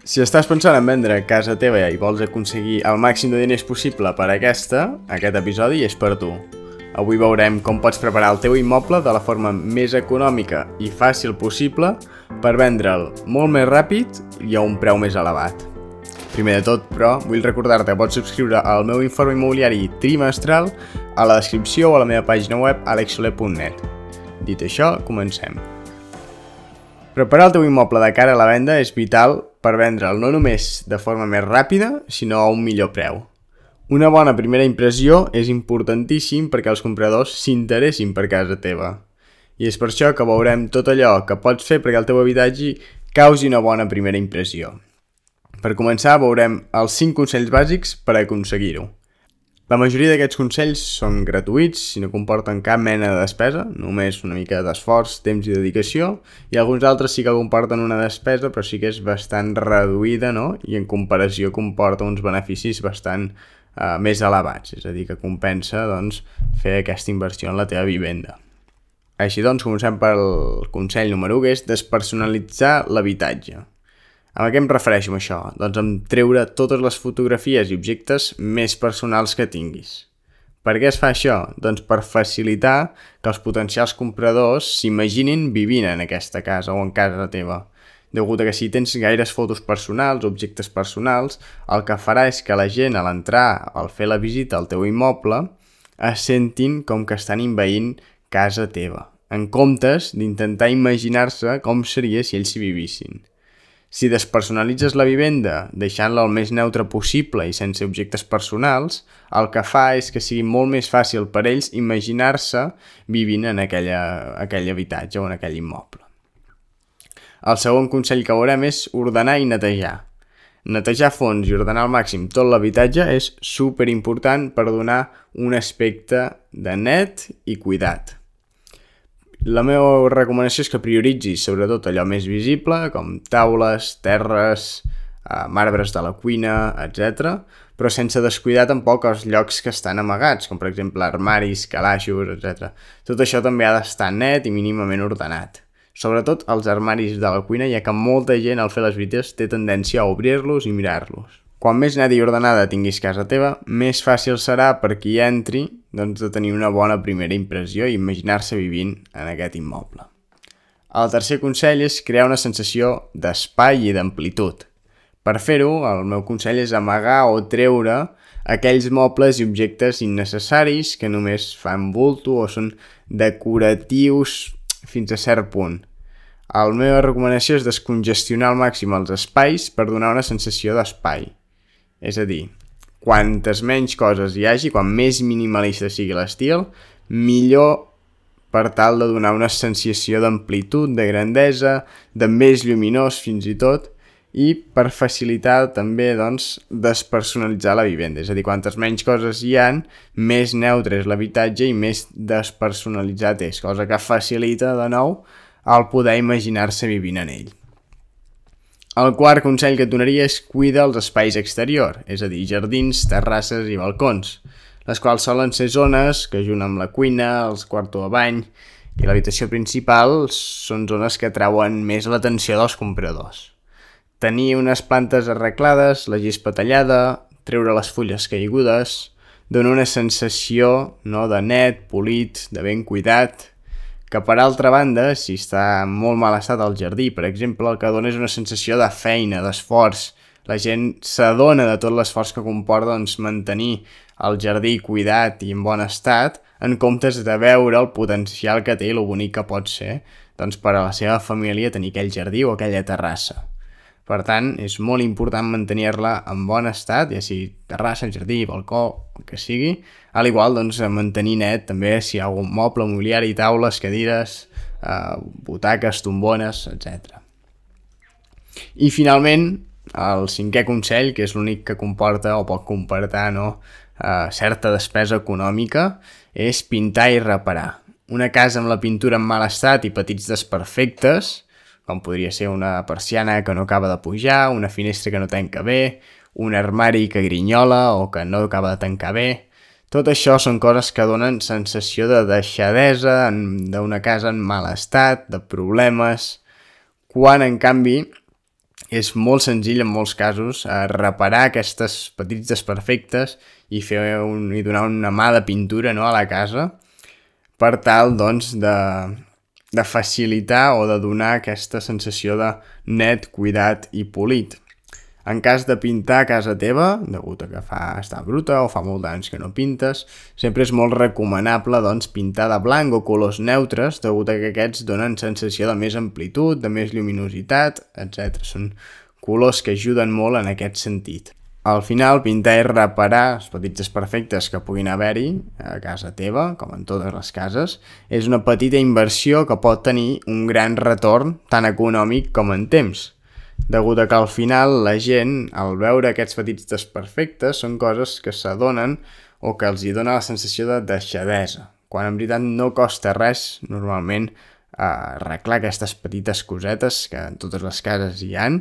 Si estàs pensant en vendre casa teva i vols aconseguir el màxim de diners possible per a aquest episodi és per tu. Avui veurem com pots preparar el teu immoble de la forma més econòmica i fàcil possible per vendre'l molt més ràpid i a un preu més elevat. Primer de tot, però, vull recordar-te que pots subscriure al meu informe immobiliari trimestral a la descripció o a la meva pàgina web alexsoler.net. Dit això, comencem. Preparar el teu immoble de cara a la venda és vital per vendre'l no només de forma més ràpida, sinó a un millor preu. Una bona primera impressió és importantíssim perquè els compradors s'interessin per casa teva. I és per això que veurem tot allò que pots fer perquè el teu habitatge causi una bona primera impressió. Per començar, veurem els 5 consells bàsics per aconseguir-ho. La majoria d'aquests consells són gratuïts i no comporten cap mena de despesa, només una mica d'esforç, temps i dedicació, i alguns altres sí que comporten una despesa, però sí que és bastant reduïda, no? I en comparació comporta uns beneficis bastant més elevats, és a dir, que compensa fer aquesta inversió en la teva vivenda. Així doncs, comencem pel consell número 1, que és despersonalitzar l'habitatge. A què em refereixo amb això? Doncs amb treure totes les fotografies i objectes més personals que tinguis. Per què es fa això? Doncs per facilitar que els potencials compradors s'imaginin vivint en aquesta casa o en casa teva. Degut a que si tens gaires fotos personals, objectes personals, el que farà és que la gent a l'entrar, al fer la visita al teu immoble, es sentin com que estan envaint casa teva, en comptes d'intentar imaginar-se com seria si ells s'hi vivissin. Si despersonalitzes la vivenda deixant-la el més neutre possible i sense objectes personals, el que fa és que sigui molt més fàcil per ells imaginar-se vivint en aquell habitatge o en aquell immoble. El segon consell que veurem és ordenar i netejar. Netejar a fons i ordenar al màxim tot l'habitatge és superimportant per donar un aspecte de net i cuidat. La meva recomanació és que prioritzis sobretot allò més visible, com taules, terres, marbres de la cuina, etc., però sense descuidar tampoc els llocs que estan amagats, com per exemple armaris, calaixos, etc. Tot això també ha d'estar net i mínimament ordenat. Sobretot els armaris de la cuina, ja que molta gent al fer les visites té tendència a obrir-los i mirar-los. Quan més net i ordenada tinguis casa teva, més fàcil serà per qui entri de tenir una bona primera impressió i imaginar-se vivint en aquest immoble. El tercer consell és crear una sensació d'espai i d'amplitud. Per fer-ho, el meu consell és amagar o treure aquells mobles i objectes innecessaris que només fan bulto o són decoratius fins a cert punt. La meva recomanació és descongestionar al màxim els espais per donar una sensació d'espai. És a dir, quantes menys coses hi hagi, quan més minimalista sigui l'estil, millor per tal de donar una sensació d'amplitud, de grandesa, de més lluminós fins i tot, i per facilitar també despersonalitzar la vivenda. És a dir, quantes menys coses hi ha, més neutre és l'habitatge i més despersonalitzat és, cosa que facilita de nou el poder imaginar-se vivint en ell. El quart consell que et donaria és cuidar els espais exteriors, és a dir, jardins, terrasses i balcons, les quals solen ser zones que junt amb la cuina, els quartos de bany i l'habitació principal són zones que atrauen més l'atenció dels compradors. Tenir unes plantes arreglades, la gespa tallada, treure les fulles caigudes, dona una sensació de net, polit, de ben cuidat, que per altra banda, si està en molt mal estat el jardí, per exemple, el que dona és una sensació de feina, d'esforç. La gent s'adona de tot l'esforç que comporta mantenir el jardí cuidat i en bon estat, en comptes de veure el potencial que té i el bonic que pot ser per a la seva família tenir aquell jardí o aquella terrassa. Per tant, és molt important mantenir-la en bon estat, ja sigui terrassa, jardí, balcó, el que sigui, al igual mantenir net també si hi ha algun moble, mobiliari, taules, cadires, butaques, tombones, etc. I finalment, el cinquè consell, que és l'únic que comporta o pot comportar certa despesa econòmica, és pintar i reparar. Una casa amb la pintura en mal estat i petits desperfectes, com podria ser una persiana que no acaba de pujar, una finestra que no tanca bé, un armari que grinyola o que no acaba de tancar bé. Tot això són coses que donen sensació de deixadesa, d'una casa en mal estat, de problemes, quan en canvi És molt senzill en molts casos reparar aquestes petits desperfectes i donar una mà de pintura, no, a la casa per tal doncs, de facilitar o de donar aquesta sensació de net, cuidat i polit. En cas de pintar casa teva, degut a que està bruta o fa molt d'anys que no pintes, sempre és molt recomanable doncs, pintar de blanc o colors neutres, degut a que aquests donen sensació de més amplitud, de més lluminositat, etc. Són colors que ajuden molt en aquest sentit. Al final, pintar és reparar els petits desperfectes que puguin haver-hi a casa teva, com en totes les cases. És una petita inversió que pot tenir un gran retorn, tant econòmic com en temps. Degut a que al final la gent, al veure aquests petits desperfectes, són coses que s'adonen o que els hi dona la sensació de deixadesa, quan en veritat no costa res, normalment, arreglar aquestes petites cosetes que en totes les cases hi han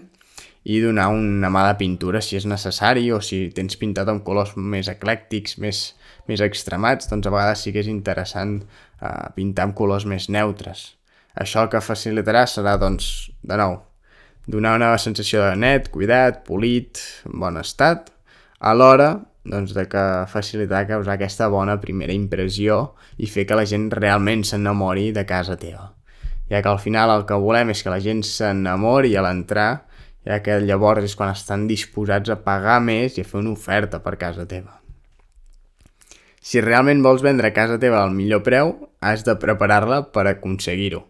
i donar una mà de pintura si és necessari, o si tens pintat amb colors més eclèctics, més extremats, doncs a vegades sí que és interessant pintar amb colors més neutres. Això el que facilitarà serà, doncs, de nou, donar una sensació de net, cuidat, polit, en bon estat, alhora doncs, de que facilitar causar aquesta bona primera impressió i fer que la gent realment s'enamori de casa teva. Ja que al final el que volem és que la gent s'enamori a l'entrar, ja que llavors és quan estan disposats a pagar més i a fer una oferta per casa teva. Si realment vols vendre casa teva al millor preu, has de preparar-la per aconseguir-ho.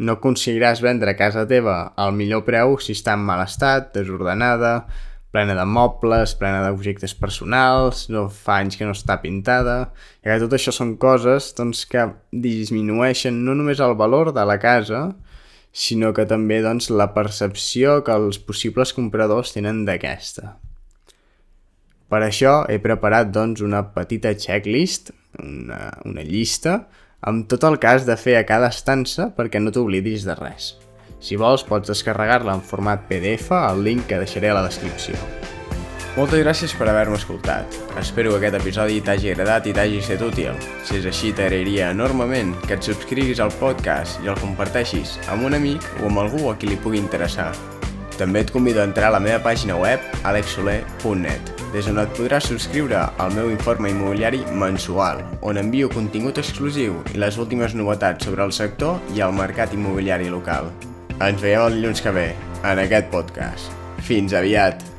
No aconseguiràs vendre casa teva al millor preu si està en mal estat, desordenada, plena de mobles, plena d'objectes personals, no fa anys que no està pintada, ja que tot això són coses doncs, que disminueixen no només el valor de la casa, sinó que també doncs, la percepció que els possibles compradors tenen d'aquesta. Per això he preparat doncs, una petita checklist, una llista, amb tot el que has de fer a cada estança perquè no t'oblidis de res. Si vols, pots descarregar-la en format PDF al link que deixaré a la descripció. Moltes gràcies per haver-me escoltat. Espero que aquest episodi t'hagi agradat i t'hagi estat útil. Si és així, t'agrairia enormement que et subscriguis al podcast i el comparteixis amb un amic o amb algú a qui li pugui interessar. També et convido a entrar a la meva pàgina web alexsoler.net, des on et podràs subscriure al meu informe immobiliari mensual, on envio contingut exclusiu i les últimes novetats sobre el sector i el mercat immobiliari local. Ens veiem el dilluns que ve, en aquest podcast. Fins aviat!